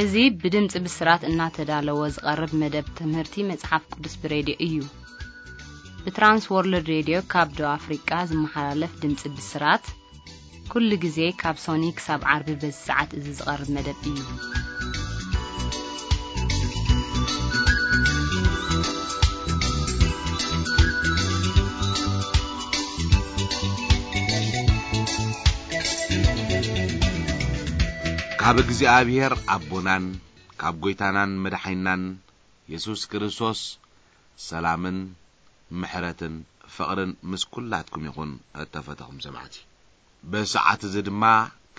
እዚ ብድምጺ ብስራት እናተዳለወ ዝቐርብ መደብ ትምህርቲ መጽሓፍ ቅዱስ ብሬድዮ እዩ። ብትራንስ ወርልድ ሬድዮ ካብ ደቡብ ኣፍሪቃ ዝመሓላለፍ ድምጺ ብስራት፣ ኩሉ ግዜ ካብ ሶኒ ክሳብ ዓርቢ በዚ ሰዓት እዚ ዝቐርብ መደብ እዩ። ካብ እግዚኣብሔር ኣቦናን ካብ ጐይታናን መድሓኒናን የሱስ ክርስቶስ ሰላምን ምሕረትን ፍቕርን ምስ ኵላትኩም ይኹን። እተፈተኹም ሰማዕቲ፣ በሰዓት እዚ ድማ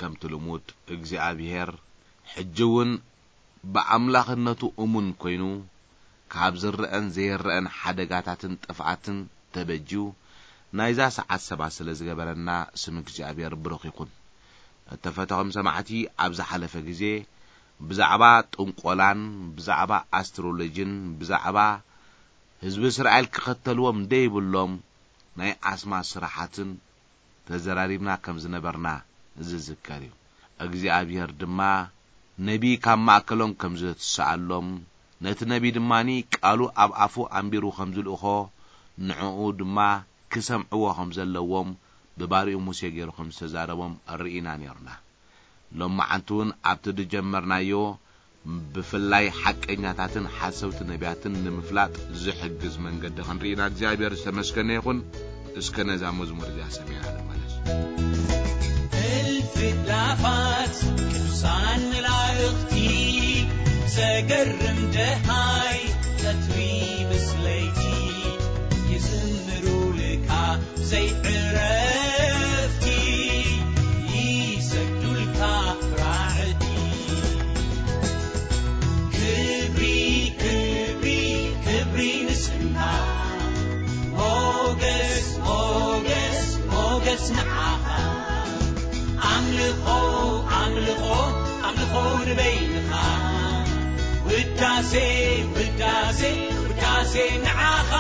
ከምቲ ልሙድ እግዚኣብሔር ሕጂ እውን ብኣምላኽነቱ እሙን ኰይኑ ካብ ዝረአን ዘይረአን ሓደጋታትን ጥፍኣትን ተበጅዩ ናይዛ ሰዓት ሰባት ስለ ዝገበረና ስም እግዚኣብሔር ብሩኽ ይኹን። እተፈተኹም ሰማዕቲ፣ ኣብ ዝሓለፈ ግዜ ብዛዕባ ጥንቆላን ብዛዕባ ኣስትሮሎጂን ብዛዕባ ህዝቢ እስራኤል ክኸተልዎም ደይብሎም ናይ ኣስማት ስራሓትን ተዘራሪብና ከም ዝነበርና ዝዝከር እዩ። እግዚኣብሔር ድማ ነቢይ ካብ ማእከሎም ከም ዘትስኣሎም፣ ነቲ ነቢይ ድማኒ ቃሉ ኣብ ኣፉ ኣንቢሩ ከም ዝልእኾ፣ ንዕኡ ድማ ክሰምዕዎ ከም ዘለዎም ብባሪኡ ሙሴ ገይሩ ከም ዝተዛረቦም ርኢና ነይርና። ሎማዓንቲ እውን ኣብቲ ዝጀመርናዮ ብፍላይ ሓቀኛታትን ሓሰውቲ ነቢያትን ንምፍላጥ ዝሕግዝ መንገዲ ክንርኢና እግዚኣብሔር ዝተመስገነ ይኹን። እስከ ነዛ መዝሙር እዚኣ ሰሚዕና ንመለስ። እልፊ ኣእላፋት ቅዱሳን መላእኽቲ፣ ዘገርም ደሃይ ቀትሪ ምስ ለይቲ፣ ይዝምሩልካ ዘይዕረፍቲ፣ ይሰግዱልካ ራዕዲ። ክብሪ፣ ክብሪ፣ ክብሪ ንስምካ፣ ሞገስ፣ ሞገስ፣ ሞገስ ንዓኻ። ኣምልኾ፣ ኣምልኾ፣ ኣምልኾ ንበይንኻ። ውዳሴ፣ ውዳሴ፣ ውዳሴ ንዓኻ።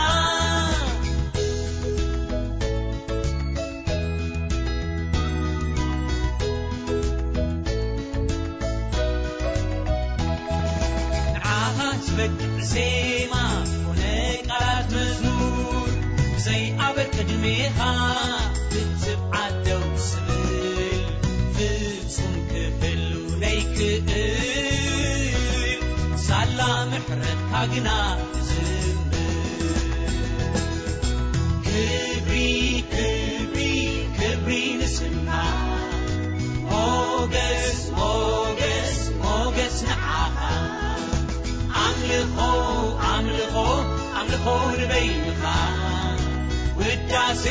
ንዓኻ ዝበቅዕ ዜማ ኮነ ቃላት መዝሙር፣ ብዘይ ኣበር ቅድሜኻ ብትብዓት ደው ዝብል፣ ፍጹም ክህሉ ዘይክእል፣ ሳላ ምሕረትካ ግና ዝዝምር። ክብሪ፣ ክብሪ፣ ክብሪ ንስምካ። ሞገስ፣ ሞገስ፣ ሞገስ ንዓኻ። ኣምልኾ፣ ኣምልኾ፣ ኣምልኾ ንበይንኻ። ውዳሴ፣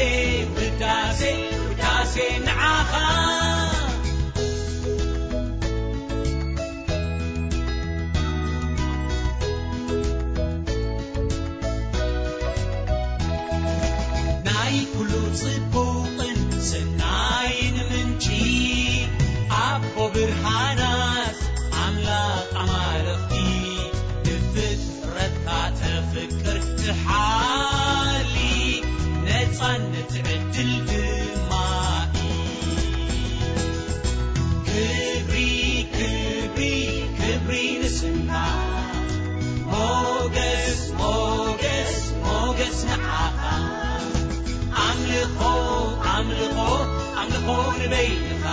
ውዳሴ፣ ውዳሴ ንዓኻ። ናይ ኩሉ ጽቡቕን ሰናይን ምንጪ፣ ኣቦ ብርሃናት፣ ኣምላኽ ኣማልኽቲ፣ ንፍጥረትካ ተፍቅር ትሓሊ፣ ነጻነት ዕድል ድማ እዩ። ክብሪ፣ ክብሪ፣ ክብሪ ንስምካ። ሞገስ፣ ሞገስ፣ ሞገስ ንዓኻ። ኣምልኾ፣ ኣምልኾ፣ ኣምልኾ ንበይንኻ።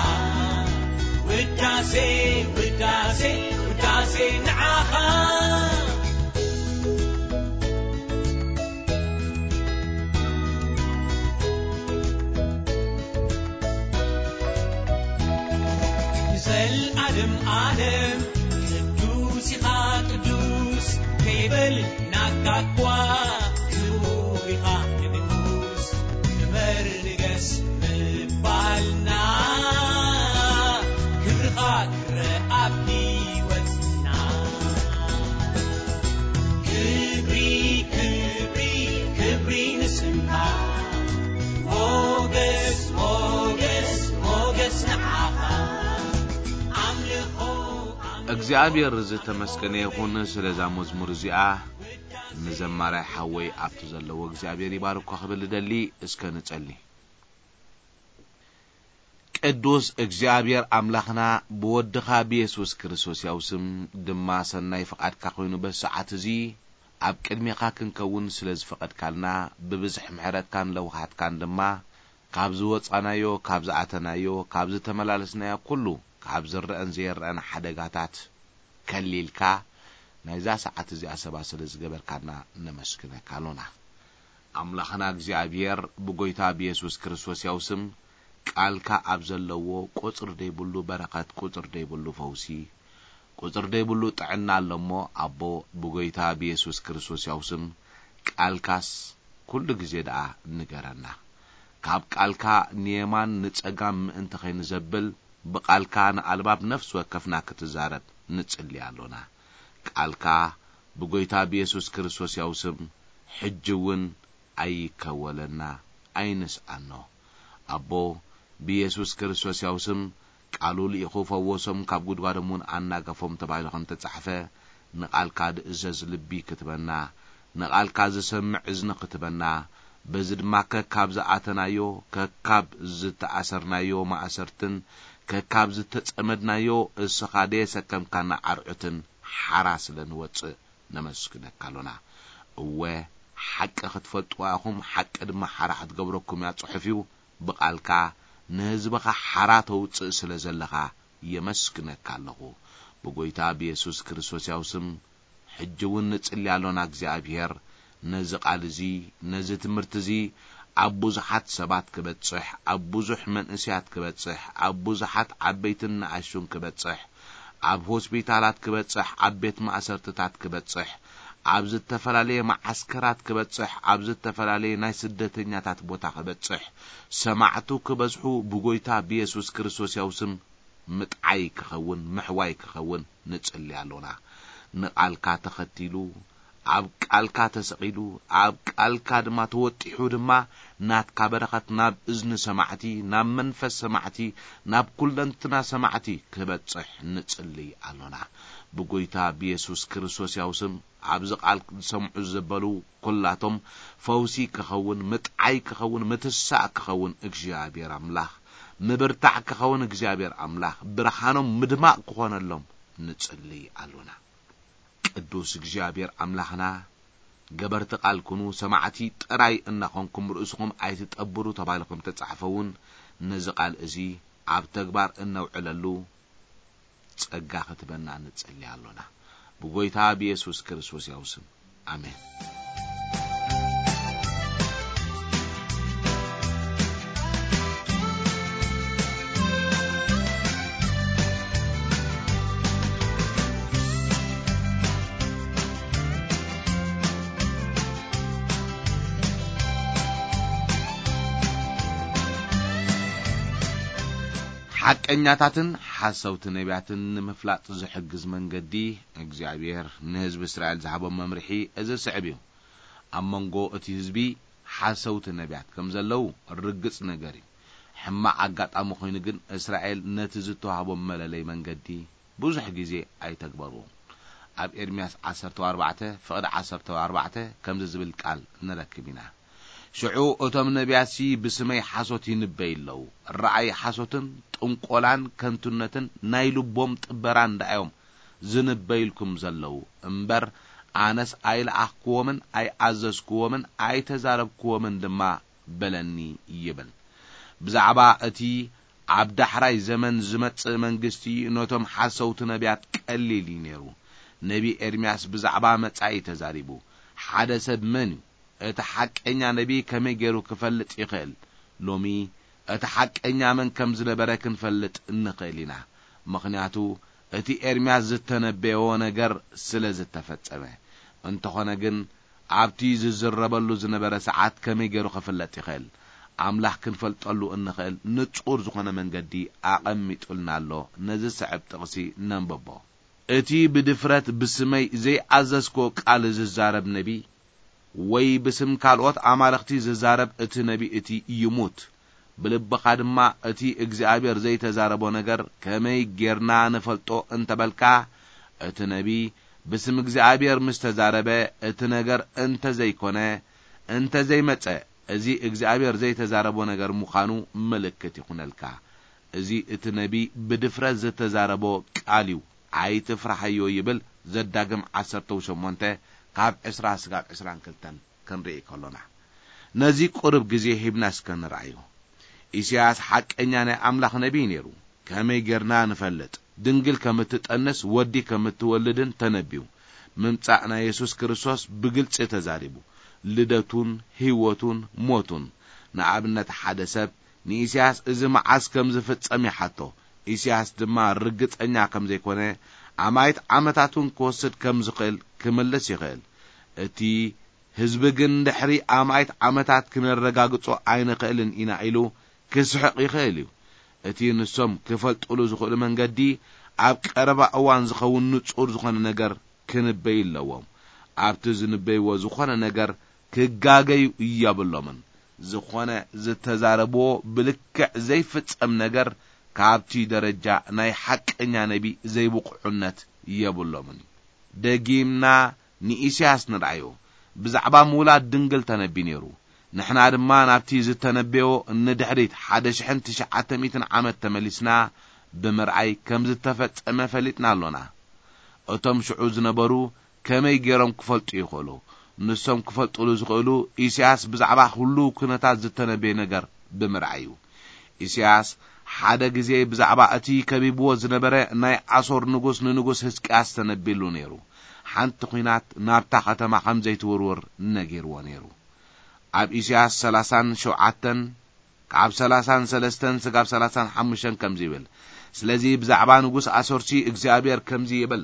ውዳሴ፣ ውዳሴ፣ ውዳሴ ንዓኻ። ንዘልኣለም ኣለም ቅዱስ ኢኻ ቅዱስ፣ ከይበል ናካ እኳ ክቡር ኢኻ ንጉስ። ክበር ንገስ ምባልና፣ ክብርኻ ክረኣ ኣብ ህይወትና። ክብሪ፣ ክብሪ፣ ክብሪ ንስምካ። ሞገስ፣ ሞገስ፣ ሞገስ ንዓኻ። ኣምልኾ፣ ኣምልኾ እግዚኣብሔር ዝተመስገነ ይኹን ስለዛ መዝሙር እዚኣ። ንዘማራይ ሓወይ ኣብቲ ዘለዎ እግዚኣብሔር ይባርኮ ክብል እደሊ። እስከ ንጸሊ። ቅዱስ እግዚኣብሔር ኣምላኽና፣ ብወድኻ ብየሱስ ክርስቶስ ያው ስም ድማ ሰናይ ፍቓድካ ኮይኑ በዚ ሰዓት እዚ ኣብ ቅድሜኻ ክንከውን ስለ ዝፈቐድካልና፣ ብብዝሒ ምሕረትካን ለውሃትካን ድማ ካብ ዝወጻናዮ፣ ካብ ዝኣተናዮ፣ ካብ ዝተመላለስናዮ ኩሉ፣ ካብ ዝረአን ዘይረአን ሓደጋታት ከሊልካ ናይዛ ሰዓት እዚኣ ሰባ ስለ ዝገበርካና ነመስግነካ ኣሎና። ኣምላኽና እግዚኣብሔር ብጎይታ ብየሱስ ክርስቶስ ያው ስም ቃልካ ኣብ ዘለዎ ቁጽሪ ደይብሉ በረኸት፣ ቁጽሪ ደይብሉ ፈውሲ፣ ቁጽሪ ደይብሉ ጥዕና ኣሎ እሞ፣ ኣቦ ብጎይታ ብየሱስ ክርስቶስ ያው ስም ቃልካስ ኩሉ ግዜ ደኣ ንገረና። ካብ ቃልካ ንየማን ንጸጋም ምእንቲ ኸይንዘብል፣ ብቓልካ ንኣልባብ ነፍሲ ወከፍና ክትዛረብ ንጽሊ ኣሎና። ቃልካ ብጎይታ ብየሱስ ክርስቶስ ያው ስም ሕጂ እውን ኣይከወለና፣ ኣይንስኣኖ። ኣቦ ብየሱስ ክርስቶስ ያው ስም ቃሉ ልኢኹ ፈወሶም፣ ካብ ጉድጓዶም እውን ኣናገፎም ተባሂሉ ከም ተጻሕፈ፣ ንቓልካ ዝእዘዝ ልቢ ክትበና፣ ንቓልካ ዝሰምዕ እዝኒ ክትበና፣ በዚ ድማ ከካብ ዝኣተናዮ፣ ከካብ ዝተኣሰርናዮ ማእሰርትን ከካብ ዝተጸመድናዮ እስኻ ደየሰከምካና ዓርዑትን ሓራ ስለ ንወጽእ ነመስግነካ ኣሎና። እወ፣ ሓቂ ክትፈልጥዋ ኢኹም፣ ሓቂ ድማ ሓራ ክትገብረኩም እያ ጽሑፍ እዩ። ብቓልካ ንህዝብኻ ሓራ ተውጽእ ስለ ዘለኻ የመስግነካ ኣለኹ። ብጎይታ ብየሱስ ክርስቶስ ያው ስም ሕጂ እውን ንጽሊ ኣሎና። እግዚኣብሔር ነዚ ቃል እዚ፣ ነዚ ትምህርቲ እዚ ኣብ ብዙሓት ሰባት ክበጽሕ፣ ኣብ ብዙሕ መንእሰያት ክበጽሕ፣ ኣብ ብዙሓት ዓበይትን ንኣሽቱን ክበጽሕ፣ ኣብ ሆስፒታላት ክበጽሕ፣ ኣብ ቤት ማእሰርትታት ክበጽሕ፣ ኣብ ዝተፈላለየ መዓስከራት ክበጽሕ፣ ኣብ ዝተፈላለየ ናይ ስደተኛታት ቦታ ክበጽሕ፣ ሰማዕቱ ክበዝሑ ብጎይታ ብየሱስ ክርስቶስ ያው ስም ምጥዓይ ክኸውን፣ ምሕዋይ ክኸውን ንጽሊ ኣሎና። ንቓልካ ተኸቲሉ፣ ኣብ ቃልካ ተሰቒሉ፣ ኣብ ቃልካ ድማ ተወጢሑ ድማ ናትካ በረኸት ናብ እዝኒ ሰማዕቲ፣ ናብ መንፈስ ሰማዕቲ፣ ናብ ኩለንትና ሰማዕቲ ክበጽሕ ንጽሊ ኣሎና። ብጎይታ ብየሱስ ክርስቶስ ያው ስም ኣብዚ ቃል ዝሰምዑ ዘበሉ ኩላቶም ፈውሲ ክኸውን፣ ምጥዓይ ክኸውን፣ ምትሳእ ክኸውን፣ እግዚኣብሔር ኣምላኽ ምብርታዕ ክኸውን፣ እግዚኣብሔር ኣምላኽ ብርሃኖም ምድማቕ ክኾነሎም ንጽሊ ኣሎና። ቅዱስ እግዚኣብሔር ኣምላኽና፣ ገበርቲ ቃል ኩኑ፣ ሰማዕቲ ጥራይ እናኾንኩም ርእስኹም ኣይትጠብሩ ተባሂሉ ከም ተጻሕፈ እውን፣ ነዚ ቃል እዚ ኣብ ተግባር እነውዕለሉ ጸጋ ክትበና ንጽሊ ኣሎና። ብጎይታ ብየሱስ ክርስቶስ ያው ስም፣ ኣሜን። ሓቀኛታትን ሓሰውቲ ነቢያትን ንምፍላጥ ዝሕግዝ መንገዲ እግዚኣብሔር ንህዝቢ እስራኤል ዝሃቦም መምርሒ እዚ ስዕብ እዩ። ኣብ መንጎ እቲ ህዝቢ ሓሰውቲ ነቢያት ከም ዘለዉ ርግጽ ነገር እዩ። ሕማቕ ኣጋጣሚ ኮይኑ ግን እስራኤል ነቲ ዝተዋህቦም መለለይ መንገዲ ብዙሕ ግዜ ኣይተግበርዎ። ኣብ ኤርምያስ ዓሰርተ ኣርባዕተ ፍቕዲ ዓሰርተ ኣርባዕተ ከምዚ ዝብል ቃል ንረክብ ኢና። ሽዑ እቶም ነቢያትሲ ብስመይ ሓሶት ይንበዩ ኣለዉ። ረኣይ ሓሶትን ጥንቆላን ከንቱነትን ናይ ልቦም ጥበራን ደኣዮም ዝንበዩልኩም ዘለዉ እምበር፣ ኣነስ ኣይለኣኽክዎምን ኣይኣዘዝክዎምን ኣይተዛረብክዎምን ድማ በለኒ ይብል። ብዛዕባ እቲ ኣብ ዳሕራይ ዘመን ዝመጽእ መንግስቲ ነቶም ሓሰውቲ ነቢያት ቀሊል እዩ ነይሩ። ነቢ ኤርምያስ ብዛዕባ መጻኢ ተዛሪቡ። ሓደ ሰብ መን እዩ? እቲ ሓቀኛ ነቢ ከመይ ገይሩ ክፈልጥ ይኽእል? ሎሚ እቲ ሓቀኛ መን ከም ዝነበረ ክንፈልጥ እንኽእል ኢና። ምኽንያቱ እቲ ኤርምያስ ዝተነበዮ ነገር ስለ ዝተፈጸመ። እንተኾነ ግን ኣብቲ ዝዝረበሉ ዝነበረ ሰዓት ከመይ ገይሩ ክፍለጥ ይኽእል? ኣምላኽ ክንፈልጠሉ እንኽእል ንጹር ዝኾነ መንገዲ ኣቐሚጡልና ኣሎ። ነዚ ዝስዕብ ጥቕሲ ነንብቦ። እቲ ብድፍረት ብስመይ ዘይኣዘዝክዎ ቃል ዝዛረብ ነቢ፣ ወይ ብስም ካልኦት ኣማልኽቲ ዝዛረብ እቲ ነቢ እቲ ይሙት። ብልብኻ ድማ እቲ እግዚኣብሔር ዘይተዛረቦ ነገር ከመይ ጌርና ንፈልጦ እንተበልካ፣ እቲ ነቢ ብስም እግዚኣብሔር ምስ ተዛረበ፣ እቲ ነገር እንተ ዘይኮነ፣ እንተ ዘይመጸ፣ እዚ እግዚኣብሔር ዘይተዛረቦ ነገር ምዃኑ ምልክት ይኹነልካ። እዚ እቲ ነቢይ ብድፍረት ዝተዛረቦ ቃል እዩ፣ ኣይትፍራሕዮ ይብል። ዘዳግም ዓሰርተ ሸሞንተ ካብ ዕስራ ስጋብ ዕስራን ክልተን ክንርኢ ከሎና፣ ነዚ ቁሩብ ግዜ ሂብና እስከ ንርኣዮ። ኢሳያስ ሓቀኛ ናይ ኣምላኽ ነቢይ ነይሩ። ከመይ ጌርና ንፈልጥ? ድንግል ከም እትጠንስ ወዲ ከም እትወልድን ተነብዩ። ምምጻእ ናይ የሱስ ክርስቶስ ብግልጺ ተዛሪቡ። ልደቱን ህይወቱን ሞቱን። ንኣብነት ሓደ ሰብ ንኢሳያስ እዚ መዓስ ከም ዝፍጸም ይሓቶ። ኢሳያስ ድማ ርግጸኛ ከም ዘይኮነ፣ ኣማኢት ዓመታት እውን ክወስድ ከም ዝኽእል ክምልስ ይኽእል። እቲ ህዝቢ ግን ድሕሪ ኣማኢት ዓመታት ክነረጋግጾ ኣይንኽእልን ኢና ኢሉ ክስሕቕ ይኽእል እዩ። እቲ ንሶም ክፈልጡሉ ዝኽእሉ መንገዲ ኣብ ቀረባ እዋን ዝኸውን ንጹር ዝኾነ ነገር ክንበዩ ኣለዎም። ኣብቲ ዝንበይዎ ዝኾነ ነገር ክጋገዩ የብሎምን። ዝኾነ ዝተዛረብዎ ብልክዕ ዘይፍጸም ነገር ካብቲ ደረጃ ናይ ሓቀኛ ነቢ ዘይብቑዑነት የብሎምን እዩ። ደጊምና ንኢሳያስ ንርኣዮ። ብዛዕባ ምውላድ ድንግል ተነቢ ነይሩ። ንሕና ድማ ናብቲ ዝተነበዮ ንድሕሪት ሓደ ሽሕን ትሽዓተ ሚእትን ዓመት ተመሊስና ብምርኣይ ከም ዝተፈጸመ ፈሊጥና ኣሎና። እቶም ሽዑ ዝነበሩ ከመይ ገይሮም ክፈልጡ ይኽእሉ? ንሶም ክፈልጡሉ ዝኽእሉ ኢሳያስ ብዛዕባ ኩሉ ኩነታት ዝተነበየ ነገር ብምርኣይ እዩ። ኢሳያስ ሓደ ግዜ ብዛዕባ እቲ ከቢብዎ ዝነበረ ናይ ኣሶር ንጉስ ንንጉስ ህዝቅያስ ተነቢሉ ነይሩ። ሓንቲ ኲናት ናብታ ከተማ ከም ዘይትውርውር ነጊርዎ ነይሩ። ኣብ ኢሳያስ ሰላሳን ሸውዓተን ካብ ሰላሳን ሰለስተን ስጋብ ሰላሳን ሓሙሽተን ከምዚ ይብል፣ ስለዚ ብዛዕባ ንጉስ ኣሶርሲ እግዚኣብሔር ከምዚ ይብል፣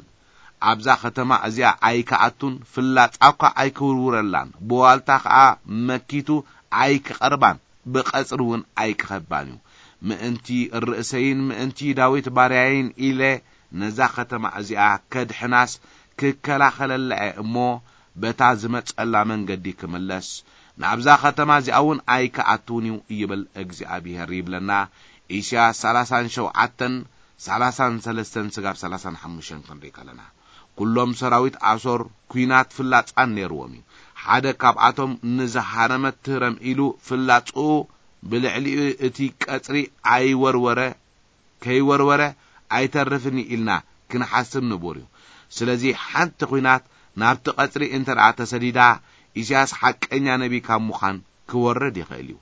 ኣብዛ ከተማ እዚኣ ኣይክኣቱን፣ ፍላጻ እኳ ኣይክውርውረላን፣ ብዋልታ ኸኣ መኪቱ ኣይክቐርባን፣ ብቐጽሪ እውን ኣይክኸባን እዩ። ምእንቲ ርእሰይን ምእንቲ ዳዊት ባርያይን ኢለ ነዛ ከተማ እዚኣ ከድሕናስ ክከላኸለላ እየ እሞ፣ በታ ዝመጸላ መንገዲ ክምለስ፣ ናብዛ ከተማ እዚኣ እውን ኣይክኣቱን እዩ ይብል እግዚኣብሄር ይብለና። ኢሳያስ ሰላሳን ሸውዓተን፣ ሰላሳን ሰለስተን ስጋብ ሰላሳን ሓሙሽተን ክንርኢ ከለና፣ ኩሎም ሰራዊት ኣሶር ኲናት ፍላጻን ነይርዎም እዩ። ሓደ ካብኣቶም ንዝሃረመት ትህረም ኢሉ ፍላጽኡ ብልዕሊኡ እቲ ቀጽሪ ኣይወርወረ፣ ከይወርወረ ኣይተርፍን ኢልና ክንሓስብ ንቡር እዩ። ስለዚ ሓንቲ ኲናት ናብቲ ቀጽሪ እንተ ደኣ ተሰዲዳ፣ ኢሳያስ ሓቀኛ ነቢ ካብ ምዃን ክወርድ ይኽእል እዩ።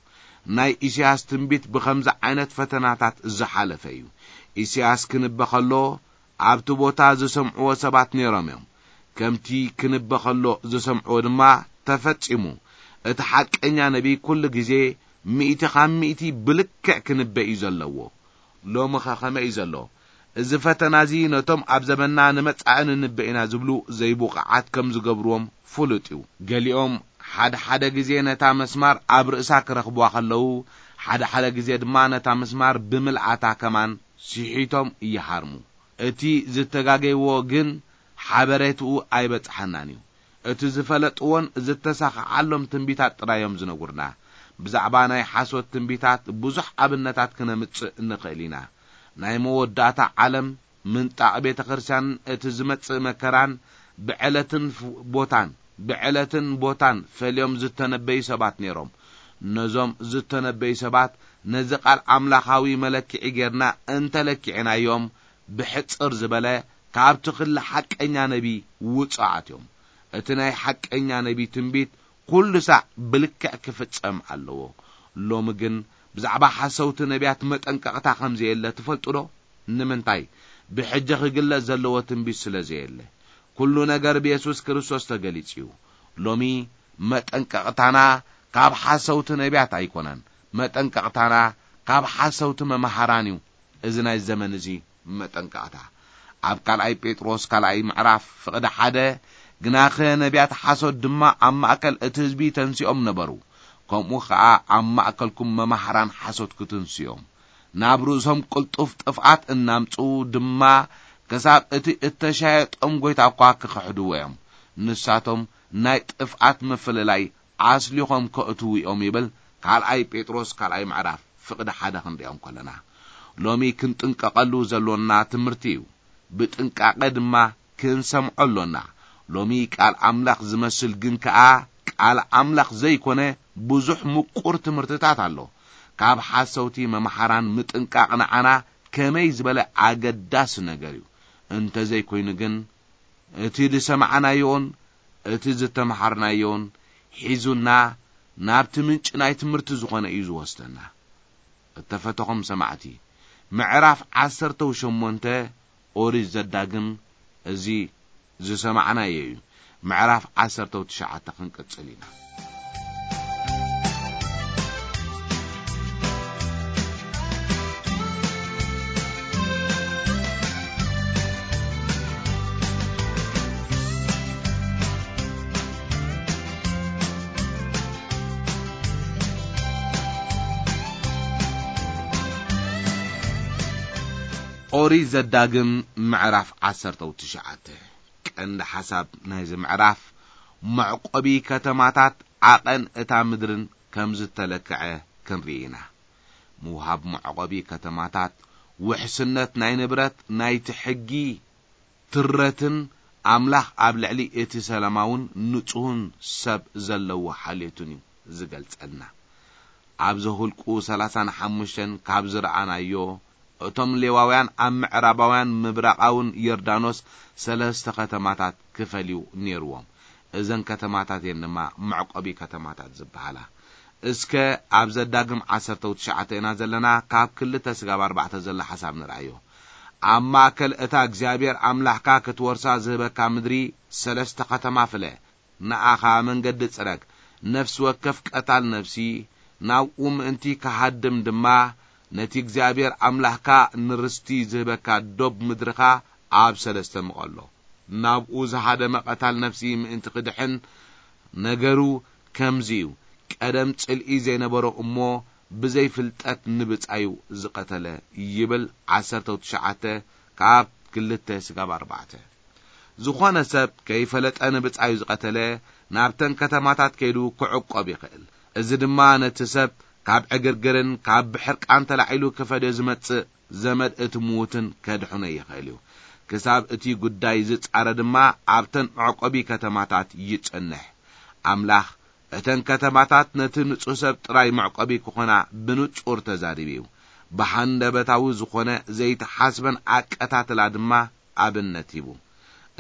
ናይ ኢሳያስ ትንቢት ብኸምዚ ዓይነት ፈተናታት ዝሓለፈ እዩ። ኢሳያስ ክንበ ከሎ ኣብቲ ቦታ ዝሰምዕዎ ሰባት ነይሮም እዮም። ከምቲ ክንበ ከሎ ዝሰምዕዎ ድማ ተፈጺሙ። እቲ ሓቀኛ ነቢ ኩሉ ግዜ ሚእቲ ካብ ሚእቲ ብልክዕ ክንበ እዩ ዘለዎ። ሎምኸ ከመይ እዩ ዘሎ? እዚ ፈተና እዚ ነቶም ኣብ ዘመንና ንመጻኢ ንንበ ኢና ዝብሉ ዘይብቑዓት ከም ዝገብርዎም ፍሉጥ እዩ። ገሊኦም ሓደ ሓደ ግዜ ነታ መስማር ኣብ ርእሳ ክረኽብዋ ከለዉ፣ ሓደ ሓደ ግዜ ድማ ነታ መስማር ብምልኣታ ከማን ስሒቶም ይሃርሙ። እቲ ዝተጋገይዎ ግን ሓበሬትኡ ኣይበጽሓናን እዩ። እቲ ዝፈለጥዎን ዝተሳኽዓሎም ትንቢታት ጥራይ እዮም ዝነግሩና። ብዛዕባ ናይ ሓሶት ትንቢታት ብዙሕ ኣብነታት ክነምጽእ ንኽእል ኢና። ናይ መወዳእታ ዓለም ምንጣቕ ቤተ ክርስቲያንን እቲ ዝመጽእ መከራን ብዕለትን ፍ-፣ ቦታን፣ ብዕለትን ቦታን ፈልዮም ዝተነበዩ ሰባት ነይሮም። ነዞም ዝተነበዩ ሰባት ነዚ ቃል ኣምላኻዊ መለክዒ ጌርና እንተለኪዕናዮም፣ ብሕጽር ዝበለ ካብቲ ክሊ ሓቀኛ ነቢ ውጹዓት እዮም። እቲ ናይ ሓቀኛ ነቢ ትንቢት ኩሉ ሳዕ ብልክዕ ክፍጸም ኣለዎ። ሎሚ ግን ብዛዕባ ሓሰውቲ ነቢያት መጠንቀቕታ ከም ዘየለ ትፈልጡ ዶ? ንምንታይ? ብሕጂ ክግለጽ ዘለዎ ትንቢት ስለ ዘየለ። ኩሉ ነገር ብየሱስ ክርስቶስ ተገሊጹ እዩ። ሎሚ መጠንቀቕታና ካብ ሓሰውቲ ነቢያት ኣይኮነን። መጠንቀቕታና ካብ ሓሰውቲ መማህራን እዩ። እዚ ናይ ዘመን እዚ መጠንቀቕታ። ኣብ ካልኣይ ጴጥሮስ ካልኣይ ምዕራፍ ፍቕዲ ሓደ፣ "ግናኸ ነቢያት ሓሶት ድማ ኣብ ማእከል እቲ ህዝቢ ተንሲኦም ነበሩ፣ ከምኡ ኸኣ ኣብ ማእከልኩም መማህራን ሓሶት ክትንስዮም፣ ናብ ርእሶም ቅልጡፍ ጥፍኣት እናምጽኡ ድማ፣ ክሳብ እቲ እተሻየጦም ጐይታ እኳ ክኽሕድዎ እዮም። ንሳቶም ናይ ጥፍኣት ምፍልላይ ኣስሊኾም ከእትዉ እዮም" ይብል ካልኣይ ጴጥሮስ ካልኣይ ምዕራፍ ፍቕዲ ሓደ ክንሪኦም ከለና። ሎሚ ክንጥንቀቐሉ ዘሎና ትምህርቲ እዩ። ብጥንቃቐ ድማ ክንሰምዖ ኣሎና። ሎሚ ቃል ኣምላኽ ዝመስል ግን ከኣ ቃል ኣምላኽ ዘይኮነ ብዙሕ ምቁር ትምህርትታት ኣሎ። ካብ ሓሰውቲ መምሓራን ምጥንቃቕ ንዓና ከመይ ዝበለ ኣገዳሲ ነገር እዩ። እንተዘይኮይኑ ግን፣ እቲ ዝሰማዕናዮን እቲ ዝተምሃርናዮን ሒዙና ናብቲ ምንጪ ናይ ትምህርቲ ዝኾነ እዩ ዝወስደና። እተፈተኹም ሰማዕቲ፣ ምዕራፍ ዓሰርተው ሸሞንተ ኦሪት ዘዳግም እዚ ዝሰማዕናዮ እዩ። ምዕራፍ ዓሰርተው ትሽዓተ ክንቅጽል ኢና። ኦሪት ዘዳግም ምዕራፍ ዓሰርተው ትሽዓተ። ቀንዲ ሓሳብ ናይዚ ምዕራፍ መዕቆቢ ከተማታት ዓቐን እታ ምድርን ከም ዝተለክዐ ክንርኢ ኢና። ምውሃብ መዕቆቢ ከተማታት ውሕስነት ናይ ንብረት ናይቲ ሕጊ ትረትን ኣምላኽ ኣብ ልዕሊ እቲ ሰላማውን ንጹህን ሰብ ዘለዎ ሓልዮትን እዩ ዝገልጸልና። ኣብ ዘሁልቁ ሰላሳን ሓሙሽተን ካብ ዝረኣናዮ፣ እቶም ሌዋውያን ኣብ ምዕራባውያን ምብራቓውን ዮርዳኖስ ሰለስተ ከተማታት ክፈልዩ ነይርዎም። እዘን ከተማታት እየን ድማ መዕቆቢ ከተማታት ዝበሃላ። እስከ ኣብ ዘዳግም ዓሰርተው ትሽዓተ ኢና ዘለና፣ ካብ ክልተ ስጋብ ኣርባዕተ ዘሎ ሓሳብ ንርኣዮ። ኣብ ማእከል እታ እግዚኣብሔር ኣምላኽካ ክትወርሳ ዝህበካ ምድሪ ሰለስተ ከተማ ፍለ። ንኣኻ መንገዲ ጽረግ። ነፍሲ ወከፍ ቀታል ነፍሲ ናብኡ ምእንቲ ክሃድም ድማ፣ ነቲ እግዚኣብሔር ኣምላኽካ ንርስቲ ዝህበካ ዶብ ምድርኻ ኣብ ሰለስተ ምቐሎ። ናብኡ ዝሃደመ ቀታል ነፍሲ ምእንቲ ክድሕን፣ ነገሩ ከምዚ እዩ። ቀደም ጽልኢ ዘይነበሮ እሞ ብዘይ ፍልጠት ንብጻዩ ዝቐተለ፣ ይብል ዓሰርተው ትሽዓተ ካብ ክልተ ስጋብ ኣርባዕተ። ዝኾነ ሰብ ከይፈለጠ ንብጻዩ ዝቐተለ፣ ናብተን ከተማታት ከይዱ ክዕቆብ ይኽእል። እዚ ድማ ነቲ ሰብ ካብ ዕግርግርን ካብ ብሕርቃን ተላዒሉ ክፈድዮ ዝመጽእ ዘመድ እቲ ምዉትን ከድሕኖ ይኽእል እዩ። ክሳብ እቲ ጉዳይ ዝጻረ ድማ ኣብተን መዕቆቢ ከተማታት ይጸንሕ። ኣምላኽ እተን ከተማታት ነቲ ንጹህ ሰብ ጥራይ መዕቆቢ ክኾና ብንጹር ተዛሪቡ እዩ። ብሃንደበታዊ ዝኾነ ዘይተሓስበን ኣቀታትላ ድማ ኣብነት ሂቡ።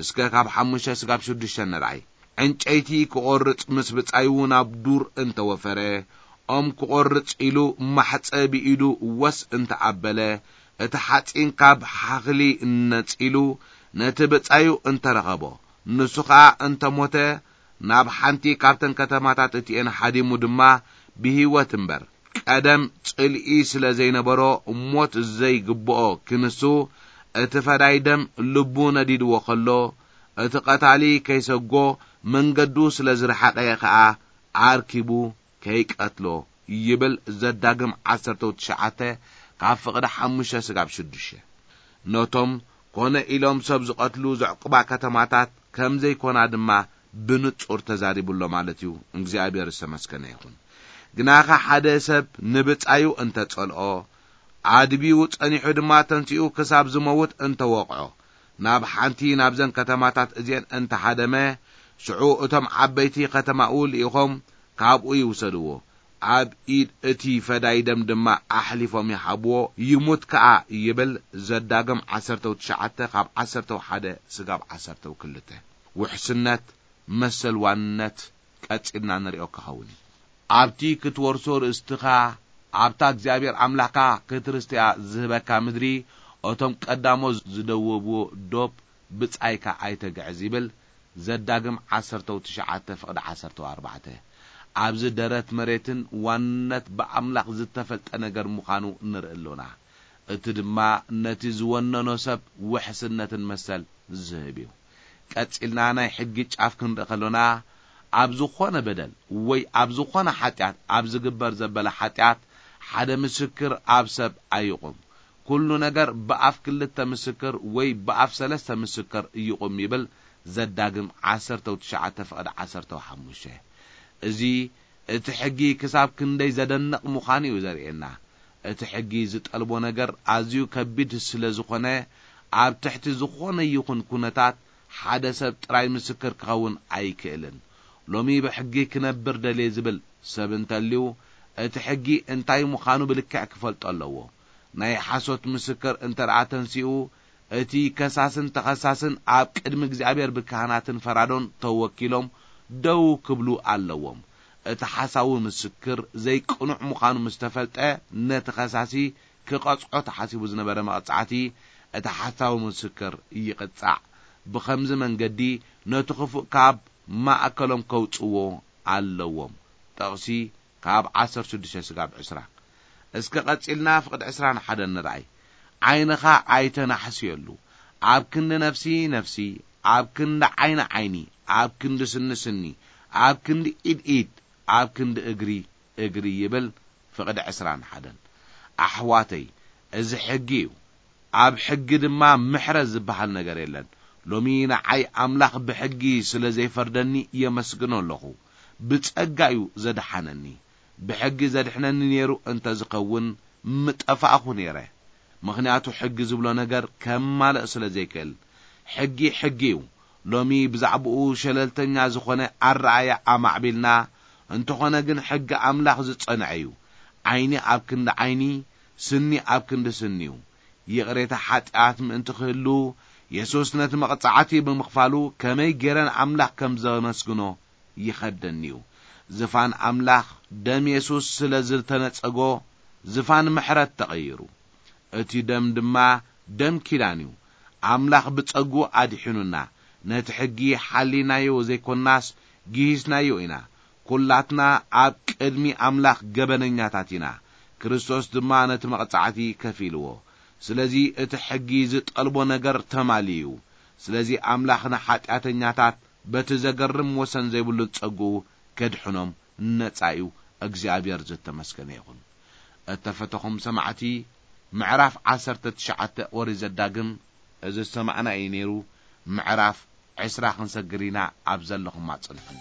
እስከ ካብ ሓሙሽተ ስጋብ ሽዱሽተ ንርኣይ። ዕንጨይቲ ክቖርጽ ምስ ብጻዩ ናብ ዱር እንተወፈረ፣ ኦም ክቖርጽ ኢሉ ማሕጸ ብኢዱ ወስ እንተኣበለ፣ እቲ ሓጺን ካብ ሓኽሊ ነጺሉ ነቲ ብጻዩ እንተረኸቦ፣ ንሱ ኸኣ እንተሞተ፣ ናብ ሓንቲ ካብተን ከተማታት እቲኤን ሃዲሙ ድማ ብህይወት እምበር፣ ቀደም ጽልኢ ስለ ዘይነበሮ ሞት ዘይግብኦ ክንሱ፣ እቲ ፈዳይ ደም ልቡ ነዲድዎ ኸሎ፣ እቲ ቐታሊ ከይሰጎ መንገዱ ስለ ዝረሓቐ ኸኣ ኣርኪቡ ከይቀትሎ ይብል ዘዳግም ዓሰርተው ትሽዓተ ካብ ፍቕዲ ሓሙሽተ ስጋብ ሽዱሽተ። ነቶም ኮነ ኢሎም ሰብ ዝቐትሉ ዘዕቁባ ከተማታት ከም ዘይኮና ድማ ብንጹር ተዛሪቡ ኣሎ ማለት እዩ። እግዚኣብሔር ዝተመስገነ ይኹን። ግናኸ ሓደ ሰብ ንብጻዩ እንተጸልኦ፣ ኣድቢኡ ጸኒሑ ድማ ተንሲኡ ክሳብ ዝመውት እንተወቕዖ፣ ናብ ሓንቲ ናብዘን ከተማታት እዚአን እንተሃደመ፣ ሽዑ እቶም ዓበይቲ ኸተማኡ ልኢኾም ካብኡ ይውሰድዎ፣ ኣብ ኢድ እቲ ፈዳይ ደም ድማ ኣሕሊፎም ይሃብዎ፣ ይሙት ከኣ ይብል ዘዳግም ዓሰርተው ትሽዓተ ካብ ዓሰርተው ሓደ ስጋብ ዓሰርተው ክልተ። ውሕስነት መሰል ዋንነት ቀጺልና ንሪኦ ክኸውን እዩ። ኣብቲ ክትወርሶ ርእስትኻ፣ ኣብታ እግዚኣብሔር ኣምላኽካ ክትርስትያ ዝህበካ ምድሪ፣ እቶም ቀዳሞት ዝደወብዎ ዶብ ብጻይካ ኣይተግዕዝ ይብል ዘዳግም ዓሰርተው ትሽዓተ ፍቕዲ ዓሰርተው ኣርባዕተ። ኣብዚ ደረት መሬትን ዋንነት ብኣምላኽ ዝተፈልጠ ነገር ምዃኑ ንርኢ ኣሎና። እቲ ድማ ነቲ ዝወነኖ ሰብ ውሕስነትን መሰል ዝህብ እዩ። ቀጺልና ናይ ሕጊ ጫፍ ክንርኢ ከሎና፣ ኣብ ዝኾነ በደል ወይ ኣብ ዝኾነ ሓጢኣት ኣብ ዝግበር ዘበለ ሓጢኣት ሓደ ምስክር ኣብ ሰብ ኣይቑም። ኩሉ ነገር ብኣፍ ክልተ ምስክር ወይ ብኣፍ ሰለስተ ምስክር ይቑም ይብል ዘዳግም ዓሰርተው ትሽዓተ ፍቕዲ ዓሰርተው ሓሙሽተ። እዚ እቲ ሕጊ ክሳብ ክንደይ ዘደንቕ ምዃኑ እዩ ዘርእየና። እቲ ሕጊ ዝጠልቦ ነገር ኣዝዩ ከቢድ ስለ ዝኾነ፣ ኣብ ትሕቲ ዝኾነ ይኹን ኩነታት ሓደ ሰብ ጥራይ ምስክር ክኸውን ኣይክእልን። ሎሚ ብሕጊ ክነብር ደልየ ዝብል ሰብ እንተልዩ፣ እቲ ሕጊ እንታይ ምዃኑ ብልክዕ ክፈልጦ ኣለዎ። ናይ ሓሶት ምስክር እንተ ደኣ ተንሲኡ፣ እቲ ከሳስን ተኸሳስን ኣብ ቅድሚ እግዚኣብሔር ብካህናትን ፈራዶን ተወኪሎም ደው ክብሉ ኣለዎም። እቲ ሓሳዊ ምስክር ዘይቅኑዕ ምዃኑ ምስ ተፈልጠ፣ ነቲ ከሳሲ ክቐጽዖ ተሓሲቡ ዝነበረ መቕጻዕቲ፣ እቲ ሓሳዊ ምስክር ይቕጻዕ። ብኸምዚ መንገዲ ነቲ ክፉእ ካብ ማእከሎም ከውጽዎ ኣለዎም። ጥቕሲ ካብ ዓሰርተ ሽዱሽተ ስጋብ ዕስራ። እስከ ቀጺልና ፍቕዲ ዕስራን ሓደን ንርኣይ። ዓይንኻ ኣይተናሕስየሉ። ኣብ ክንዲ ነፍሲ ነፍሲ፣ ኣብ ክንዲ ዓይኒ ዓይኒ፣ ኣብ ክንዲ ስኒ ስኒ፣ ኣብ ክንዲ ኢድ ኢድ፣ ኣብ ክንዲ እግሪ እግሪ ይብል ፍቕዲ ዕስራን ሓደን። ኣሕዋተይ፣ እዚ ሕጊ እዩ። ኣብ ሕጊ ድማ ምሕረት ዝበሃል ነገር የለን። ሎሚ ንዓይ ኣምላኽ ብሕጊ ስለ ዘይፈርደኒ የመስግኖ ኣለኹ። ብጸጋ እዩ ዘድሓነኒ። ብሕጊ ዘድሕነኒ ነይሩ እንተ ዝኸውን ምጠፋእኹ ነይረ። ምኽንያቱ ሕጊ ዝብሎ ነገር ከማልእ ስለ ዘይክእል። ሕጊ ሕጊ እዩ። ሎሚ ብዛዕባኡ ሸለልተኛ ዝኾነ ኣረኣእያ ኣማዕቢልና፣ እንተኾነ ግን ሕጊ ኣምላኽ ዝጸንዐ እዩ። ዓይኒ ኣብ ክንዲ ዓይኒ፣ ስኒ ኣብ ክንዲ ስኒ እዩ። ይቕሬታ ሓጢኣት ምእንቲ ክህሉ፣ የሱስ ነቲ መቕጻዕቲ ብምኽፋሉ ከመይ ገይረ ንኣምላኽ ከም ዘመስግኖ ይኸብደኒ እዩ። ዝፋን ኣምላኽ ደም የሱስ ስለ ዝተነጸጎ፣ ዝፋን ምሕረት ተቐይሩ። እቲ ደም ድማ ደም ኪዳን እዩ። ኣምላኽ ብጸግኡ ኣድሒኑና። ነቲ ሕጊ ሓሊናዮ ዘይኮናስ፣ ግሂስናዮ ኢና። ኩላትና ኣብ ቅድሚ ኣምላኽ ገበነኛታት ኢና። ክርስቶስ ድማ ነቲ መቕጻዕቲ ከፊልዎ። ስለዚ እቲ ሕጊ ዝጠልቦ ነገር ተማልዩ እዩ። ስለዚ ኣምላኽ ንሓጢኣተኛታት በቲ ዘገርም ወሰን ዘይብሉን ጸግኡ ከድሕኖም ነጻ እዩ። እግዚኣብሔር ዝተመስገነ ይኹን። እተፈተኹም ሰማዕቲ፣ ምዕራፍ ዓሰርተ ትሽዓተ ኦሪት ዘዳግም እዚ ዝሰማዕና እዩ ነይሩ። ምዕራፍ ዕስራ ክንሰግር ኢና። ኣብ ዘለኹም ኣጽንሑኒ።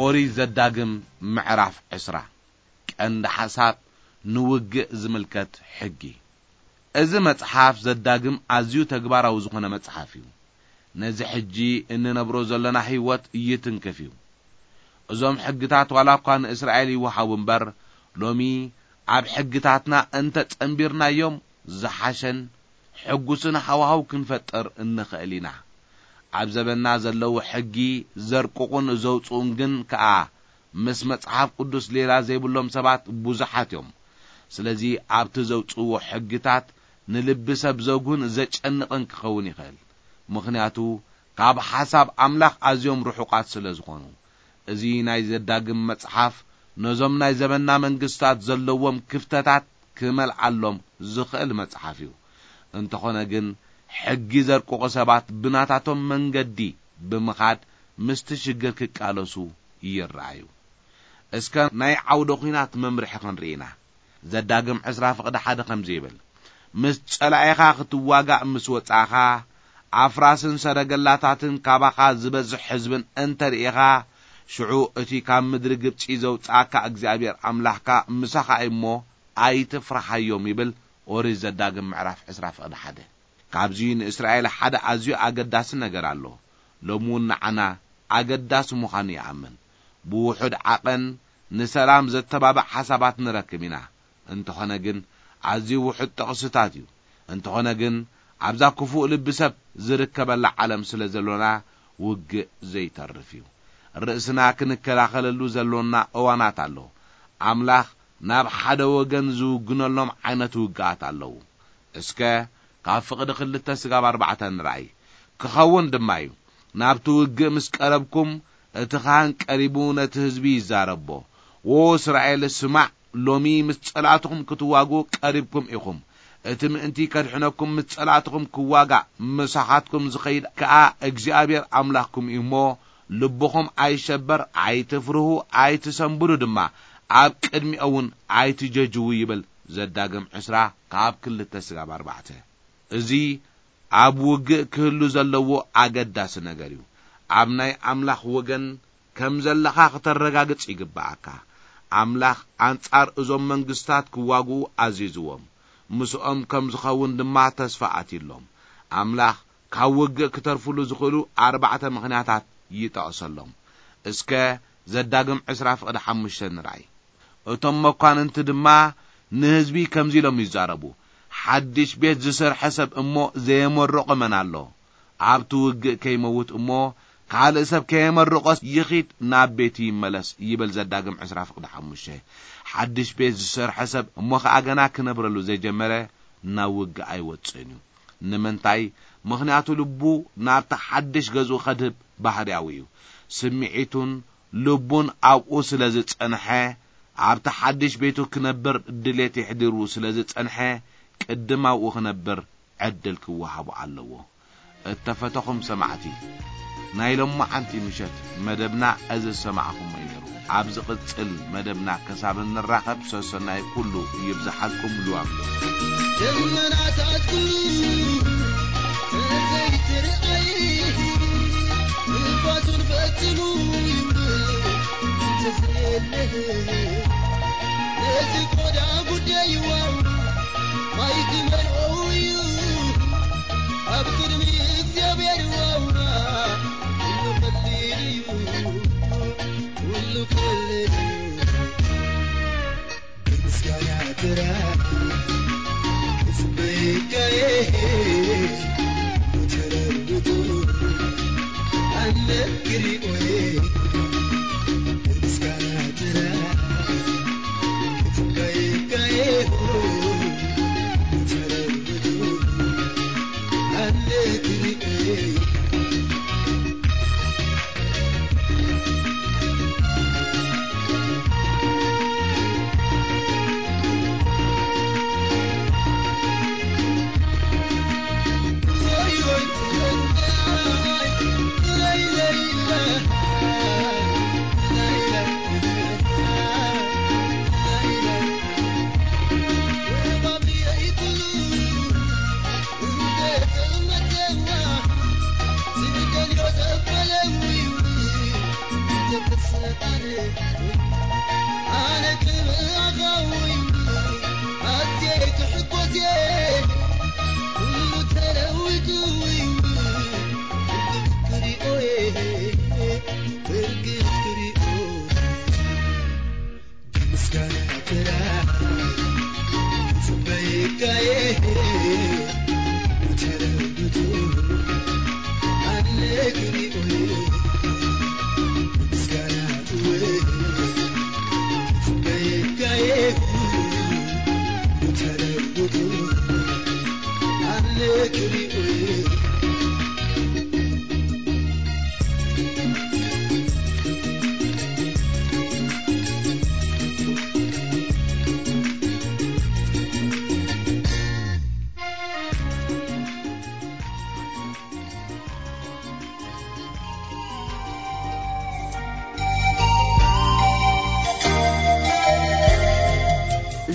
ኦሪት ዘዳግም ምዕራፍ ዕስራ። ቀንዲ ሓሳብ ንውግእ ዝምልከት ሕጊ። እዚ መጽሓፍ ዘዳግም ኣዝዩ ተግባራዊ ዝኾነ መጽሓፍ እዩ። ነዚ ሕጂ እንነብሮ ዘለና ህይወት ይትንክፍ እዩ። እዞም ሕግታት ዋላ እኳ ንእስራኤል ይወሃቡ እምበር፣ ሎሚ ኣብ ሕግታትና እንተ ጸንቢርናዮም ዝሓሸን ሕጉስን ሃዋህው ክንፈጥር እንኽእል ኢና። ኣብ ዘበንና ዘለዉ ሕጊ ዘርቅቑን ዘውጽኡን ግን ከኣ ምስ መጽሓፍ ቅዱስ ሌላ ዘይብሎም ሰባት ብዙሓት እዮም። ስለዚ ኣብቲ ዘውጽእዎ ሕግታት ንልቢ ሰብ ዘጉህን ዘጨንቕን ክኸውን ይኽእል። ምኽንያቱ ካብ ሓሳብ ኣምላኽ ኣዝዮም ርሑቓት ስለ ዝኾኑ። እዚ ናይ ዘዳግም መጽሓፍ ነዞም ናይ ዘበንና መንግስታት ዘለዎም ክፍተታት ክመልኣሎም ዝኽእል መጽሓፍ እዩ። እንተኾነ ግን ሕጊ ዘርቅቑ ሰባት ብናታቶም መንገዲ ብምኻድ ምስቲ ሽግር ክቃለሱ ይረኣዩ። እስከ ናይ ዓውደ ኲናት መምርሒ ክንርኢ ኢና። ዘዳግም ዕስራ ፍቕዲ ሓደ ከምዚ ይብል፣ ምስ ጸላኢኻ ክትዋጋእ ምስ ወጻእኻ፣ ኣፍራስን ሰረገላታትን ካባኻ ዝበዝሕ ህዝብን እንተ ርኢኻ፣ ሽዑ እቲ ካብ ምድሪ ግብጺ ዘውጽኣካ እግዚኣብሔር ኣምላኽካ ምሳኻ እዩ እሞ ኣይትፍርሃዮም ይብል። ኦሪት ዘዳግም ምዕራፍ ዕስራ ፍቕዲ ሓደ። ካብዚ ንእስራኤል ሓደ ኣዝዩ ኣገዳሲ ነገር ኣሎ። ሎሚ እውን ንዓና ኣገዳሲ ምዃኑ ይኣምን። ብውሑድ ዓቐን ንሰላም ዘተባብዕ ሓሳባት ንረክብ ኢና። እንተኾነ ግን ኣዝዩ ውሑድ ጥቕስታት እዩ። እንተኾነ ግን ኣብዛ ክፉእ ልቢ ሰብ ዝርከበላ ዓለም ስለ ዘሎና ውግእ ዘይተርፍ እዩ። ርእስና ክንከላኸለሉ ዘሎና እዋናት ኣሎ። ኣምላኽ ናብ ሓደ ወገን ዝውግነሎም ዓይነት ውግኣት ኣለዉ። እስከ ካብ ፍቕዲ ክልተ ስጋብ ኣርባዕተ ንርኣይ። ክኸውን ድማ እዩ፣ ናብቲ ውግእ ምስ ቀረብኩም፣ እቲ ኻህን ቀሪቡ ነቲ ህዝቢ ይዛረቦ። "ዎ እስራኤል፣ ስማዕ፣ ሎሚ ምስ ጸላእትኹም ክትዋግኡ ቀሪብኩም ኢኹም። እቲ ምእንቲ ከድሕነኩም ምስ ጸላእትኹም ክዋጋእ ምሳኻትኩም ዝኸይድ ከኣ እግዚኣብሔር ኣምላኽኩም እዩ እሞ፣ ልብኹም ኣይሸበር፣ ኣይትፍርሁ፣ ኣይትሰንብዱ ድማ፣ ኣብ ቅድሚኦ እውን ኣይትጀጅዉ" ይብል ዘዳግም ዕስራ ካብ ክልተ ስጋብ ኣርባዕተ። እዚ ኣብ ውግእ ክህሉ ዘለዎ ኣገዳሲ ነገር እዩ። ኣብ ናይ ኣምላኽ ወገን ከም ዘለኻ ክተረጋግጽ ይግብኣካ። ኣምላኽ ኣንጻር እዞም መንግስታት ክዋግኡ ኣዚዝዎም፣ ምስኦም ከም ዝኸውን ድማ ተስፋ ኣትዩሎም። ኣምላኽ ካብ ውግእ ክተርፉሉ ዝኽእሉ ኣርባዕተ ምኽንያታት ይጠቕሰሎም። እስከ ዘዳግም ዕስራ ፍቕዲ ሓሙሽተ ንርኣይ። እቶም መኳንንቲ ድማ ንህዝቢ ከምዚ ኢሎም ይዛረቡ፣ ሓድሽ ቤት ዝሰርሐ ሰብ እሞ ዘየመረቆ መን ኣሎ? ኣብቲ ውግእ ከይመውት እሞ ካልእ ሰብ ከየመረቆስ ይኺድ ናብ ቤቱ ይመለስ፣ ይብል ዘዳግም ዕስራ ፍቕዲ ሓሙሽተ። ሓድሽ ቤት ዝሰርሐ ሰብ እሞ ኸኣ ገና ክነብረሉ ዘይጀመረ ናብ ውግእ ኣይወጽእን እዩ። ንምንታይ? ምኽንያቱ ልቡ ናብቲ ሓድሽ ገዝኡ ከድህብ ባህርያዊ እዩ። ስምዒቱን ልቡን ኣብኡ ስለ ዝጸንሐ፣ ኣብቲ ሓድሽ ቤቱ ክነብር ድሌት የሕዲሩ ስለ ዝጸንሐ፣ ቅድም ኣብኡ ክነብር ዕድል ክወሃቦ ኣለዎ። እተፈተኹም ሰማዕቲ፣ ናይ ሎማዓንቲ ምሸት መደብና እዚ ዝሰማዕኹሞ እዩ ነይሩ። ኣብ ዝቕጽል መደብና ክሳብ እንራኸብ ሰሰናይ ኩሉ ይብዝሓልኩም። ልዋም ዶ ደመናታት ኩሉ ዘይትርኣይ፣ ንፋሱን ፈትኑ ይውል ተስየለህ። ነዚ ቆዳ ጉዳይ ዋው ማይ ክመልኦ እዩ። ኣብ ቅድሚ እግዚኣብሔር ዋውና ኩሉ ቀሊል እዩ፣ ኩሉ ቀሊል እዩ። ብምስጋና ጥራይ ክጽበየካየ ተረድቱ ኣለ ክሪኦየ። ብምስጋና ጥራይ ክጽበየካየ ተረድቱ ኣለ ክሪኦየ።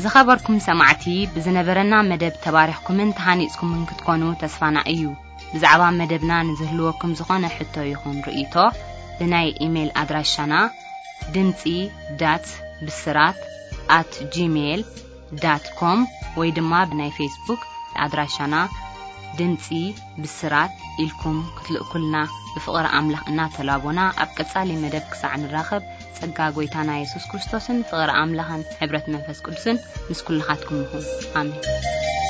ዝኸበርኩም ሰማዕቲ፣ ብዝነበረና መደብ ተባሪኽኩምን ተሃኒጽኩምን ክትኮኑ ተስፋና እዩ። ብዛዕባ መደብና ንዝህልወኩም ዝኾነ ሕቶ ይኹን ርእይቶ፣ ብናይ ኢሜይል ኣድራሻና ድምጺ ዳት ብስራት ኣት ጂሜይል ዳት ኮም ወይ ድማ ብናይ ፌስቡክ ኣድራሻና ድምጺ ብስራት ኢልኩም ክትልእኩልና ብፍቕሪ ኣምላኽ እናተላቦና፣ ኣብ ቀጻሊ መደብ ክሳዕ ንራኸብ፣ ጸጋ ጐይታና የሱስ ክርስቶስን ፍቕሪ ኣምላኽን ሕብረት መንፈስ ቅዱስን ምስ ኩልኻትኩም ይኹን። ኣሜን።